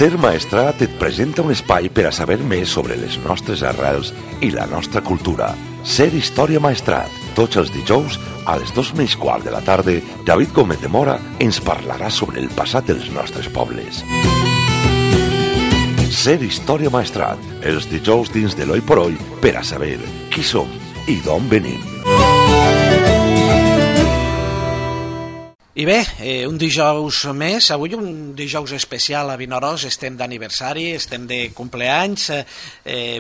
Ser Maestrat et presenta un espai per a saber més sobre les nostres arrels i la nostra cultura. Ser Història Maestrat. Tots els dijous, a les 2:15 de la tarda, David Gómez de Mora ens parlarà sobre el passat dels nostres pobles. Ser Història Maestrat. Els dijous dins de l'Oi por Oi per a saber qui som i d'on venim. I bé, un dijous més, avui un dijous especial a Vinaròs, estem d'aniversari, estem de compleanys,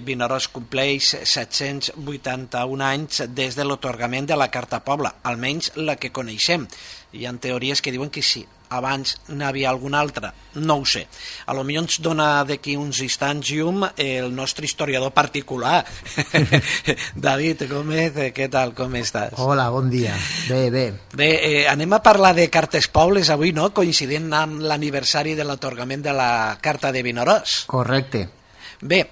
Vinaròs compleix 781 anys des de l'atorgament de la Carta Pobla, almenys la que coneixem. Hi ha teories que diuen que sí, abans n'havia alguna altra, no ho sé. A lo millor ens dona d'aquí uns instants llum el nostre historiador particular. David Gómez, què tal, com estàs? Hola, bon dia. Bé. Bé, anem a parlar de cartes pobles avui, no? Coincidint amb l'aniversari de l'atorgament de la Carta de Vinaròs. Correcte. Bé,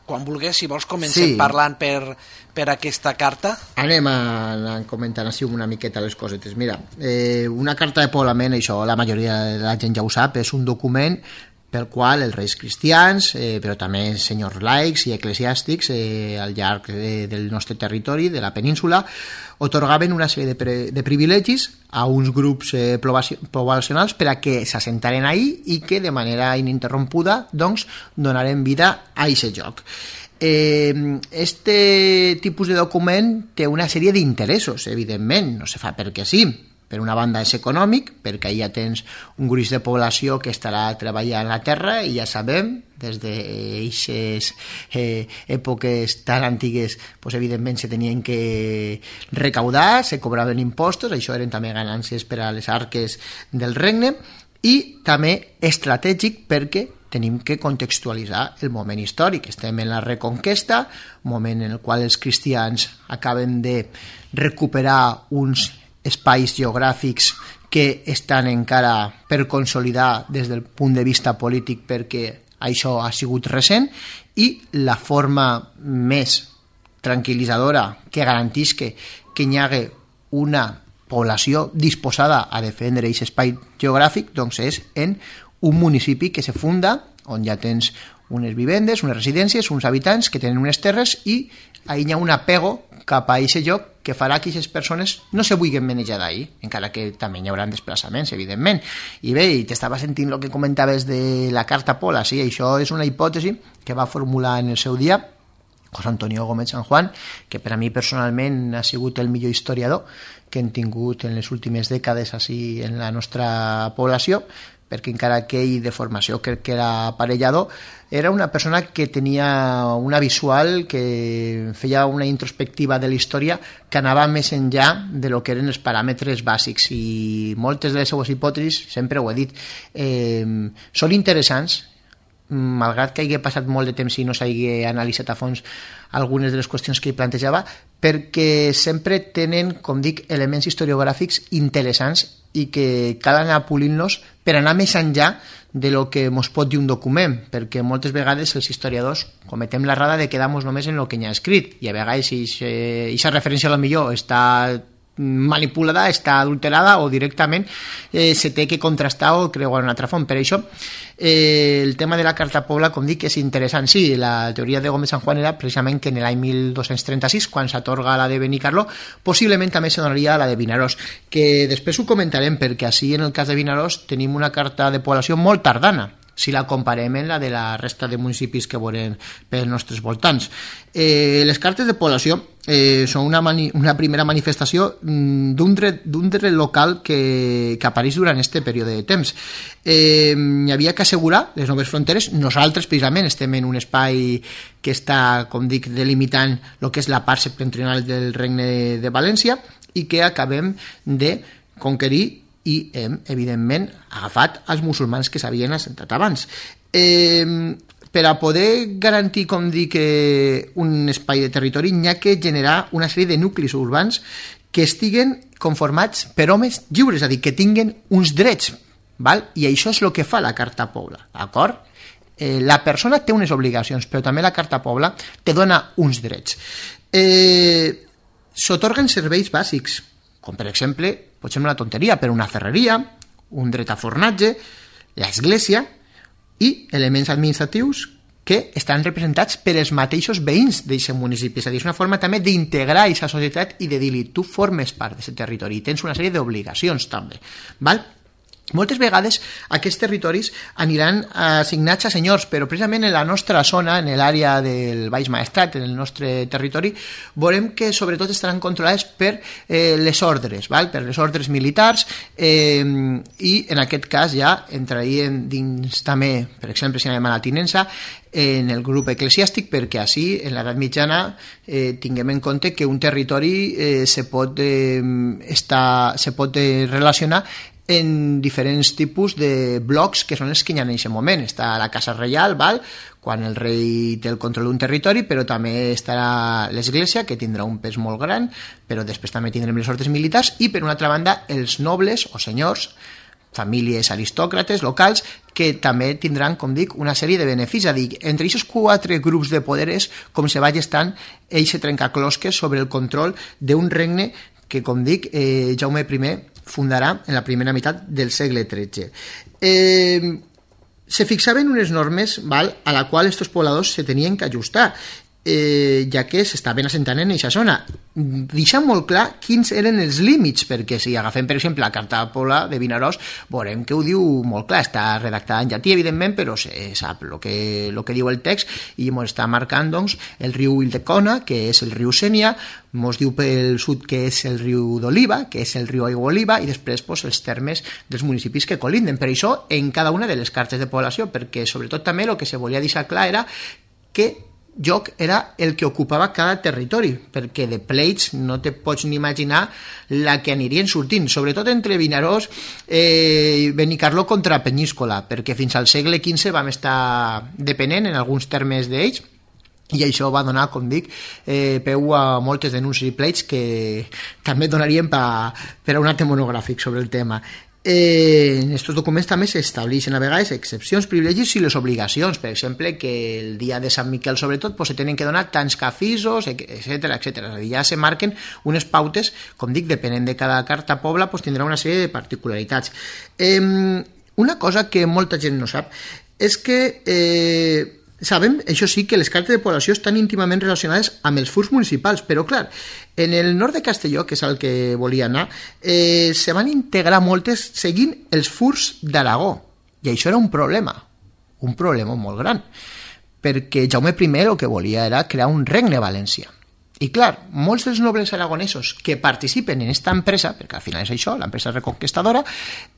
quan vulguis, si vols, comencem parlant per aquesta carta. Anem a comentar així una miqueta les cosetes. Mira, una carta de poblament, això la majoria de la gent ja ho sap, és un document pel qual els reis cristians, però també senyors laics i eclesiàstics al llarg del nostre territori, de la península, otorgaven una sèrie de privilegis a uns grups poblacionals per a que s'assentaren ahí i que de manera ininterrompuda doncs, donaren vida a aquest lloc. Este tipus de document té una sèrie d'interessos, evidentment, no se fa perquè sí. Per una banda és econòmic, perquè ja tens un gruix de població que estarà treballant la terra i ja sabem, des d'aquestes èpoques tan antigues, pues, evidentment se tenien que recaudar, se cobraven impostos, això eren també ganàncies per a les arques del regne, i també estratègic perquè tenim que contextualitzar el moment històric. Estem en la Reconquesta, moment en el qual els cristians acaben de recuperar uns espais geogràfics que estan encara per consolidar des del punt de vista polític perquè això ha sigut recent, i la forma més tranquil·litzadora que garantís que hi hagi una població disposada a defendre aquest espai geogràfic doncs és en un municipi que se funda, on ja tens unes vivendes, unes residències, uns habitants que tenen unes terres i ahí hi ha un apego cap a aquest lloc que farà que aquestes persones no se vulguin manejar d'ahir, encara que també hi haurà desplaçaments, evidentment. I bé, t'estava sentint el que comentaves de la Carta Pobla, sí, això és una hipòtesi que va formular en el seu dia José Antonio Gómez San Juan, que per a mi personalment ha sigut el millor historiador que hem tingut en les últimes dècades així en la nostra població, perquè encara que ell de formació crec que era aparellador, era una persona que tenia una visual, que feia una introspectiva de la història que anava més enllà de lo que eren els paràmetres bàsics, i moltes de les seues hipòtesis, sempre ho he dit, són interessants, malgrat que hagi passat molt de temps i no s'hagi analitzat a fons algunes de les qüestions que ell plantejava, perquè sempre tenen, com dic, elements historiogràfics interessants i que cal anar polint-los per anar més enllà de lo que ens pot dir un document, perquè moltes vegades els historiadors cometem l'errada de quedar-nos només en el que hi ha escrit, i a vegades aquesta referència a lo millor està manipulada, està adulterada, o directament se té que contrastar o creuar una altra font. Per això el tema de la Carta Pobla, com dic, és interessant. Sí, la teoria de Gómez San Juan era precisament que en l'any 1236, quan s'atorga la de Benicarló, possiblement també se donaria la de Vinaròs, que després ho comentarem, perquè així en el cas de Vinaròs tenim una carta de població molt tardana, si la comparem amb la de la resta de municipis que veurem pels nostres voltants. Les cartes de població són una primera manifestació d'un dret local que apareix durant aquest període de temps. Hi havia que assegurar les noves fronteres. Nosaltres, precisament, estem en un espai que està, com dic, delimitant el que és la part septentrional del Regne de València i que acabem de conquerir i hem, evidentment, agafat els musulmans que s'havien assentat abans. Per a poder garantir, com dic, un espai de territori, hi ha que generar una sèrie de nuclis urbans que estiguen conformats per homes lliures, és a dir, que tinguen uns drets, val? I això és el que fa la Carta Pobla, d'acord? La persona té unes obligacions, però també la Carta Pobla te dona uns drets. S'atorguen serveis bàsics, com per exemple, pot ser una tonteria, però una ferreria, un dret a fornatge, l'església, i elements administratius que estan representats per els mateixos veïns d'aquest municipi. És a dir, és una forma també d'integrar aquesta societat i de dir-li, tu formes part d'aquest territori i tens una sèrie d'obligacions també. Val? Moltes vegades aquests territoris aniran assignats a senyors, però precisament en la nostra zona, en l'àrea del Baix Maestrat, en el nostre territori, veurem que sobretot estaran controlades per les ordres, val? Per les ordres militars, i en aquest cas ja entrarien dins també, per exemple, si anem a la tinença, en el grup eclesiàstic, perquè així en l'edat mitjana tinguem en compte que un territori se pot relacionar en diferents tipus de blocs que són els que hi ha en aquest moment. Està la Casa Reial, val? Quan el rei té el control d'un territori, però també estarà l'església, que tindrà un pes molt gran, però després també tindrem les ordres militars, i per una altra banda els nobles o senyors, famílies aristòcrates locals, que també tindran, com dic, una sèrie de beneficis. És a dir, entre aquests 4 grups de poderes com se va gestant eixe trencaclosques sobre el control d'un regne que, com dic, Jaume I fundarà en la primera meitat del segle XIII. Se fixaven unes normes, val, a la qual estos pobladors se tenien que ajustar, ja que s'estaven assentant en aquesta zona. Deixant molt clar quins eren els límits, perquè si agafem, per exemple, la Carta Pobla de Vinaròs, veurem que ho diu molt clar. Està redactada en llatí, evidentment, però se sap el que diu el text, i ens està marcant, doncs, el riu Ildecona, que és el riu Sénia, ens diu pel sud que és el riu d'Oliva, que és el riu Aiguaoliva, i després doncs, els termes dels municipis que colinden. Per això, en cada una de les cartes de població, perquè sobretot també el que se volia deixar clar era que lloc era el que ocupava cada territori, perquè de pleits no te pots ni imaginar la que anirien sortint, sobretot entre Vinaròs i Benicarló contra Penyíscola, perquè fins al segle XV vam estar depenent en alguns termes d'ells, i això va donar, com dic, peu a moltes denúncies i pleits que també donarien per a un altre monogràfic sobre el tema. En aquests documents també s'estableixen a vegades excepcions, privilegis i les obligacions, per exemple, que el dia de Sant Miquel sobretot se tenen que donar tants cafisos, etc. Ja se marquen unes pautes, com dic, depenent de cada carta pobla, tindrà una sèrie de particularitats. Una cosa que molta gent no sap és que sabem, això sí, que les cartes de població estan íntimament relacionades amb els furs municipals, però clar, en el nord de Castelló, que és el que volia anar, se van integrar moltes seguint els furs d'Aragó, i això era un problema molt gran, perquè Jaume I el que volia era crear un regne valencià. I clar, molts dels nobles aragonesos que participen en aquesta empresa, perquè al final és això, l'empresa reconquistadora,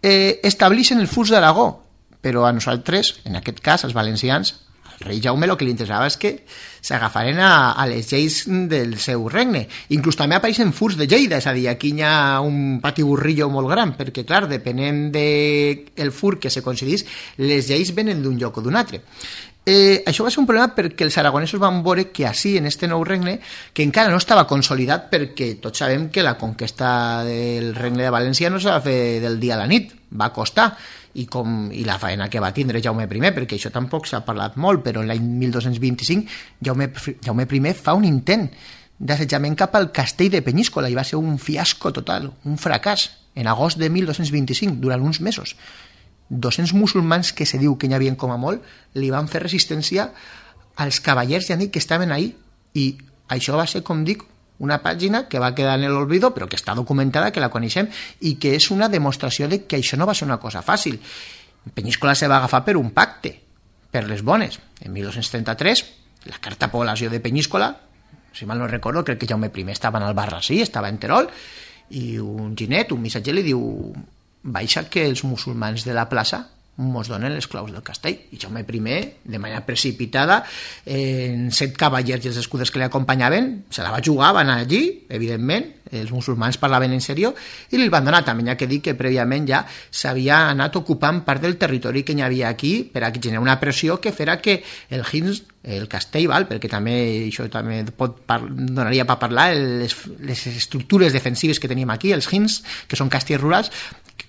estableixen el furs d'Aragó, però a nosaltres, en aquest cas, als valencians, rei Jaume el que li interessava és que s'agafaren a les lleis del seu regne. Inclús també apareixen furs de Lleida, és a dir, aquí hi ha un patiburrillo molt gran, perquè, clar, depenent del fur que se coincidís, les lleis venen d'un lloc o d'un altre. Això va ser un problema perquè els aragonesos van veure que així, en este nou regne, que encara no estava consolidat, perquè tots sabem que la conquesta del regne de València no s'ha de fer del dia a la nit, va costar, i la faena que va tindre Jaume I, perquè això tampoc s'ha parlat molt, però l'any 1225 Jaume I fa un intent d'assetjament cap al castell de Penyíscola i va ser un fiasco total, un fracàs, en agost de 1225, durant uns mesos. 200 musulmans que se diu que n'hi havia com a molt li van fer resistència als cavallers ja dic que estaven ahí, i això va ser, com dic, una pàgina que va quedar en l'olvido, però que està documentada, que la coneixem, i que és una demostració de que això no va ser una cosa fàcil. Penyíscola se va agafar per un pacte, per les bones. En 1233, la carta població de Penyíscola, si mal no recordo, crec que Jaume I estava en Albarrasí, estava en Terol, i un ginet, un missatger, li diu: baixa que els musulmans de la plaça mos donen les claus del castell. I Jaume I, de manera precipitada, en 7 cavallers i els escuders que li acompanyaven, se la va jugar, van anar allí, evidentment, els musulmans parlaven en sèrio, i li van donar. També hi ha que dir que prèviament ja s'havia anat ocupant part del territori que hi havia aquí per a generar una pressió que farà que el Hins, el castell, perquè també això també donaria per parlar, les estructures defensives que tenim aquí, els Hins, que són castells rurals,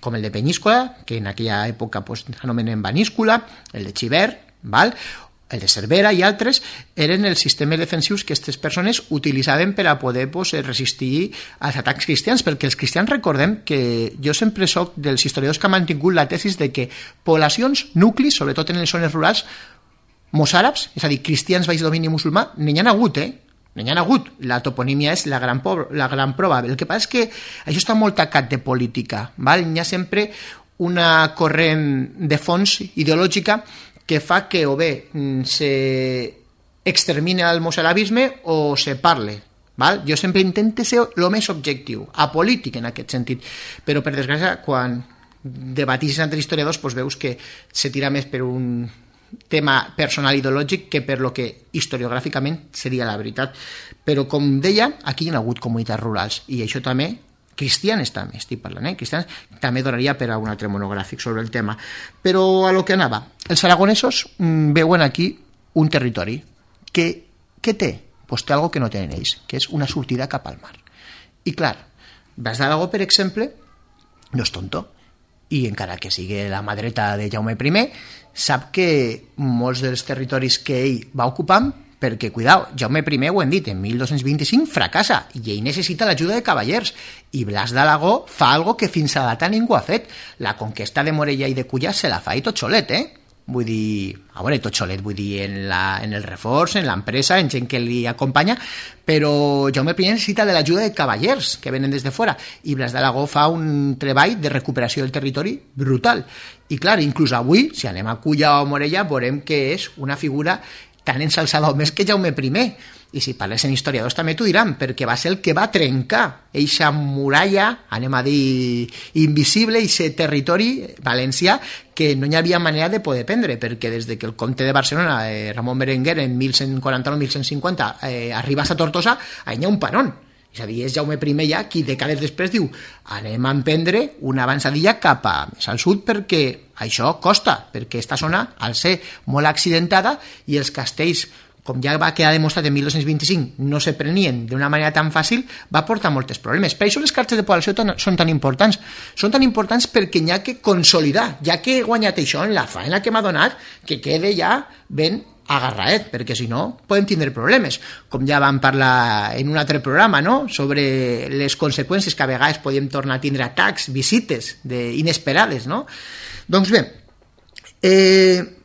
com el de Penyíscola, que en aquella època s'anomenen Baníscola, el de Xivert, el de Cervera i altres, eren els sistemes defensius que aquestes persones utilitzaven per a poder resistir als atacs cristians, perquè els cristians recordem que jo sempre soc dels historiadors que han mantingut la tesis de que poblacions, nuclis, sobretot en les zones rurals, mossàrabs, és a dir, cristians baix domini musulmà, n'hi ha hagut, n'hi ha hagut. La toponímia és la gran prova. El que passa és que això està molt tacat de política, val? Hi ha sempre una corrent de fons ideològica que fa que o bé s'extermine el mossarabisme o se parle. Val? Jo sempre intento ser el més objectiu, apolític en aquest sentit, però per desgràcia quan debatís entre historiadors doncs veus que se tira més per un tema personal ideològic que per lo que historiogràficament seria la veritat. Però com deia, aquí hi ha hagut comunitats rurals i això també, cristianes també estic parlant, cristianes també donaria per a un altre monogràfic sobre el tema. Però a lo que anava, els aragonesos veuen aquí un territori que té? Pues té algo que no tenen ells, que és una sortida cap al mar. I clar, Blas d'Aragó, per exemple, no és tonto, i encara que sigui la mà dreta de Jaume I, sap que molts dels territoris que ell va ocupant, perquè, cuidao, Jaume I, ho hem dit, en 1225 fracassa, i ell necessita l'ajuda de cavallers, i Blas d'Aragó fa algo que fins a data ningú ha fet. La conquesta de Morella i de Culla se la fa i tot solet, Vull dir, a veure, tot solet, vull dir, en el reforç, en l'empresa, en gent que li acompanya, però Jaume I necessita de l'ajuda de cavallers que venen des de fora, i Blas d'Aragó fa un treball de recuperació del territori brutal. I clar, inclús avui, si anem a Culla o Morella, veurem que és una figura tan ensalçada o més que Jaume I, i si parles en historiadors també t'ho diran, perquè va ser el que va trencar eixa muralla, anem a dir invisible, eixe territori valencià que no hi havia manera de poder prendre, perquè des que el comte de Barcelona, Ramon Berenguer, en 1149-1150 arriba a Tortosa, allà hi ha un panón. És a dir, és Jaume I ja qui dècades després diu anem a emprendre una avançadilla cap a més al sud perquè això costa, perquè aquesta zona al ser molt accidentada i els castells, com ja va quedar demostrat en 1225, no se prenien d'una manera tan fàcil, va portar molts problemes. Per això les cartes de població són tan importants. Són tan importants perquè n'hi ha que consolidar, ja que he guanyat això en la faena que m'ha donat, que quede ja ben agarraet, perquè si no podem tindre problemes, com ja vam parlar en un altre programa, no? Sobre les conseqüències que a vegades podem tornar a tindre atacs, visites inesperades, no? Doncs bé,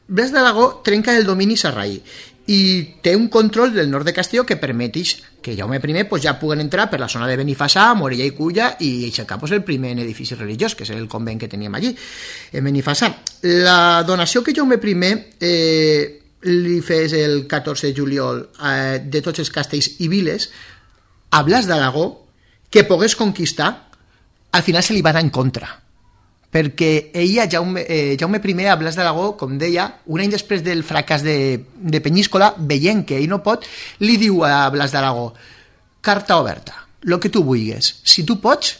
Blas d'Aragó trenca el domini sarraí i té un control del nord de Castelló que permeteix que Jaume I pues, ja puguen entrar per la zona de Benifassà, Morella i Culla i aixecar pues, el primer edifici religiós, que és el convent que teníem allí, en Benifassà. La donació que Jaume I li fes el 14 de juliol de tots els castells i viles a Blas d'Aragó que pogués conquistar, al final se li va anar en contra, perquè ella, Jaume I, a Blas d'Aragó, com deia, un any després del fracàs de Penyíscola, veient que ell no pot, li diu a Blas d'Aragó, carta oberta, el que tu vulguis, si tu pots,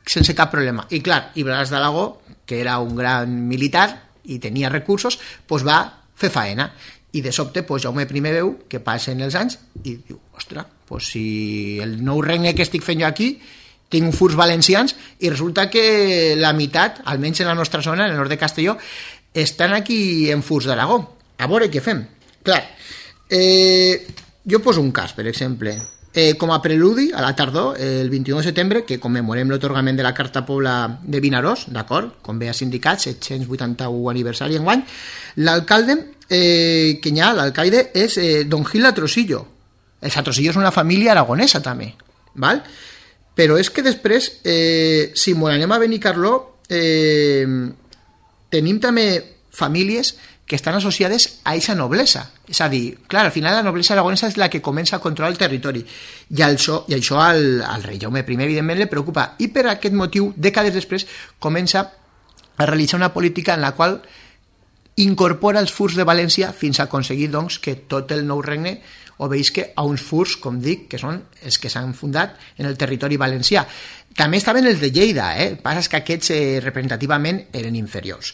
sense cap problema. I clar, i Blas d'Aragó, que era un gran militar i tenia recursos, pues va fer faena, i de sobte pues, Jaume I veu que passen els anys i diu, ostres, pues, si el nou regne que estic fent jo aquí tinc furs valencians i resulta que la meitat, almenys en la nostra zona, en el nord de Castelló, estan aquí en furs d'Aragó. A veure què fem. Clar, jo poso un cas, per exemple, com a preludi a la tardor, el 21 de setembre, que commemorem l'atorgament de la Carta Pobla de Vinaròs, d'acord, com bé ha sindicat, 781 aniversari enguany, l'alcalde que hi ha, l'alcaide, és don Gil Atrosillo. Els Atrosillo és una família aragonesa també, val? Però és que després, si ens anem a Benicarló, tenim també famílies que estan associades a aquesta noblesa. És a dir, clar, al final la noblesa aragonesa és la que comença a controlar el territori. I això al rei Jaume I, evidentment, li preocupa. I per aquest motiu, dècades després, comença a realitzar una política en la qual incorpora els furs de València fins a aconseguir doncs, que tot el nou regne obeïsca a uns furs, com dic, que són els que s'han fundat en el territori valencià. També estaven els de Lleida, el que passa és que aquests representativament eren inferiors.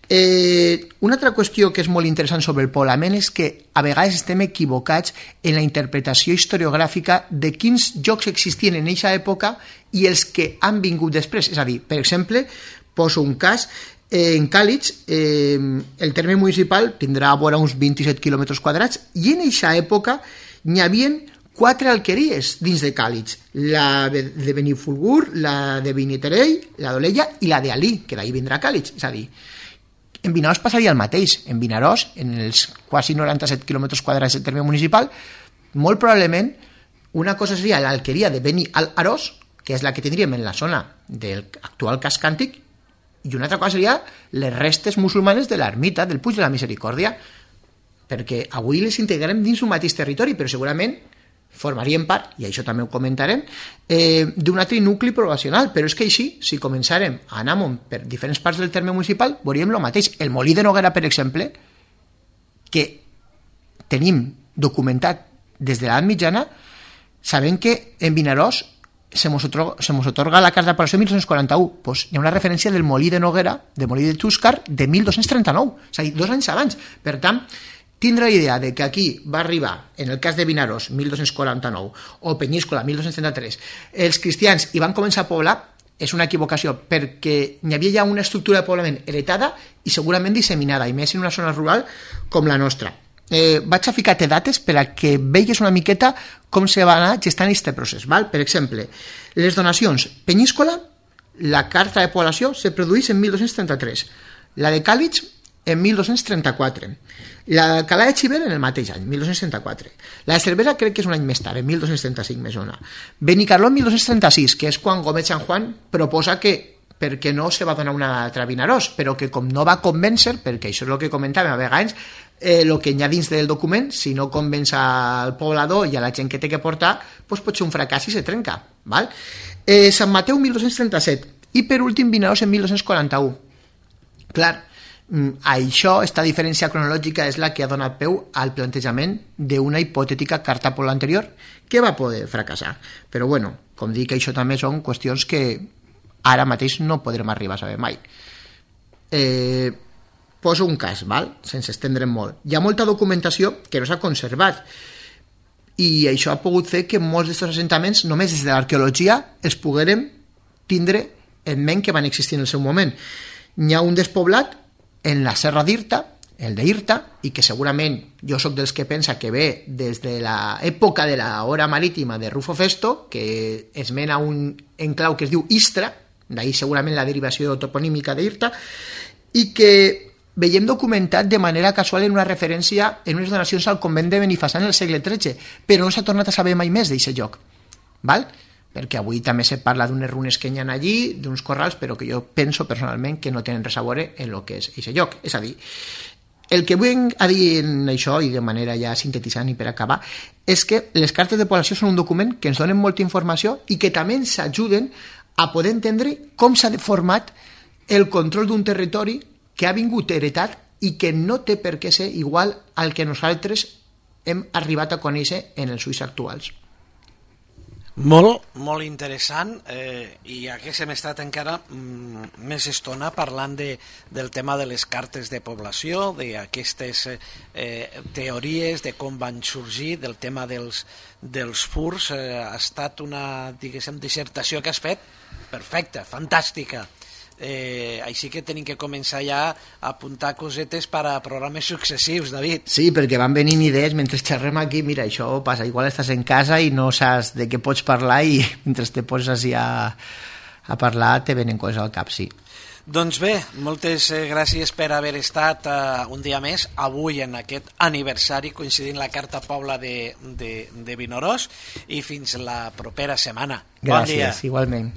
Una altra qüestió que és molt interessant sobre el poblament és que a vegades estem equivocats en la interpretació historiogràfica de quins jocs existien en aquesta època i els que han vingut després. És a dir, per exemple, Poso un cas. En Càlig, el terme municipal tindrà vora uns 27 quilòmetres quadrats i en aquesta època n'hi havia 4 alqueries dins de Càlig, la de Benifulgur, la de Beniterell, la d'Olella i la d'Alí, que d'ahir vindrà Càlig. És a dir, en Vinaròs passaria el mateix. En Vinaròs, en els quasi 97 quilòmetres quadrats del terme municipal, molt probablement una cosa seria l'alqueria de Beni al-Arós, que és la que tindríem en la zona del actual casc antic, i una altra cosa seria les restes musulmanes de l'ermita del Puig de la Misericòrdia, perquè avui les integrarem dins un mateix territori, però segurament formarien part, i això també ho comentarem, d'un altre nucli poblacional. Però és que així, si començarem a anar per diferents parts del terme municipal, veuríem el mateix. El Molí de Noguera, per exemple, que tenim documentat des de l'edat mitjana, sabem que en Vinaròs se mos otorga la carta de població 1241, pues hi ha una referència del Molí de Noguera, del Molí de Xúscar, de 1239, és a dir, 2 anys abans. Per tant, tindre la idea de que aquí va arribar, en el cas de Vinaròs, 1249, o Penyíscola, 1233, els cristians hi van començar a poblar, és una equivocació, perquè hi havia ja una estructura de poblament heretada i segurament disseminada, i més en una zona rural com la nostra. Vaig a ficar-te dates per a que veigues una miqueta com se va anar gestant aquest procés. Val? Per exemple, les donacions. Penyíscola, la carta de població se produeix en 1233, la de Càlig en 1234, la d'Alcalà de Xiver en el mateix any, 1234, la de Cervera crec que és un any més tard, en 1235 més o menys, Benicarló en 1236, que és quan Gómez San Juan proposa que perquè no se va donar una altra Vinaròs, però que com no va convèncer, perquè això és el que comentàvem a vegades, el que hi ha dins del document, si no convenç al poblador i a la gent que té que portar, doncs pot ser un fracàs i se trenca. Val? Sant Mateu 1237 i per últim Vinaròs en 1241. Clar, això, esta diferència cronològica és la que ha donat peu al plantejament d'una hipotètica carta poble anterior que va poder fracassar. Però bueno, com dic, això també són qüestions que ara mateix no podrem arribar a saber mai. Poso un cas, val? Sense estendre'm molt. Hi ha molta documentació que no s'ha conservat i això ha pogut fer que molts d'aquests assentaments, només des de l'arqueologia, els poguérem tindre en ment que van existir en el seu moment. Hi ha un despoblat en la Serra d'Irta, el d'Irta, i que segurament jo sóc dels que pensa que ve des de l'època de l'hora marítima de Rufo Festo, que es mena un enclau que es diu Istra, d'ahir segurament la derivació toponímica d'Irta, i que veiem documentat de manera casual en una referència en unes donacions al convent de Benifassà en el segle XIII, però no s'ha tornat a saber mai més d'aquest lloc, val? Perquè avui també se parla d'unes runes que hi ha allí, d'uns corrals, però que jo penso personalment que no tenen res a veure en el que és aquest lloc. És a dir, el que vull a dir en això, i de manera ja sintetitzant i per acabar, és que les cartes de població són un document que ens donen molta informació i que també ens ajuden a poder entendre com s'ha deformat el control d'un territori que ha vingut heretat i que no té per què ser igual al que nosaltres hem arribat a conèixer en els ulls actuals. Molt interessant, i aquí hem estat encara més estona parlant del tema de les cartes de població, d'aquestes teories de com van sorgir, del tema dels furs. Ha estat una, diguéssim, dissertació que has fet perfecta, fantàstica. Així que tenim que començar ja a apuntar cosetes per a programes successius, David. Sí, perquè van venint idees mentre xerrem aquí. Mira, això passa, igual estàs en casa i no saps de què pots parlar i mentre te poses ja a parlar te venen coses al cap, sí. Doncs bé, moltes gràcies per haver estat un dia més avui en aquest aniversari coincidint la Carta Pobla de Vinaròs, i fins la propera setmana. Bon dia. Gràcies, igualment.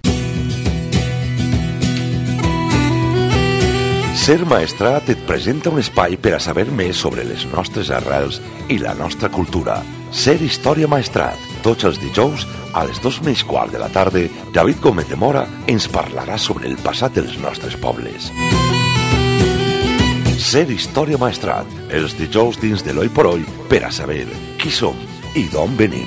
Ser Maestrat et presenta un espai per a saber més sobre les nostres arrels i la nostra cultura. Ser Història Maestrat. Tots els dijous, a les 2:15 de la tarda, David Gómez de Mora ens parlarà sobre el passat dels nostres pobles. Ser Història Maestrat. Els dijous dins de l'Oi por Oi per a saber qui som i d'on venim.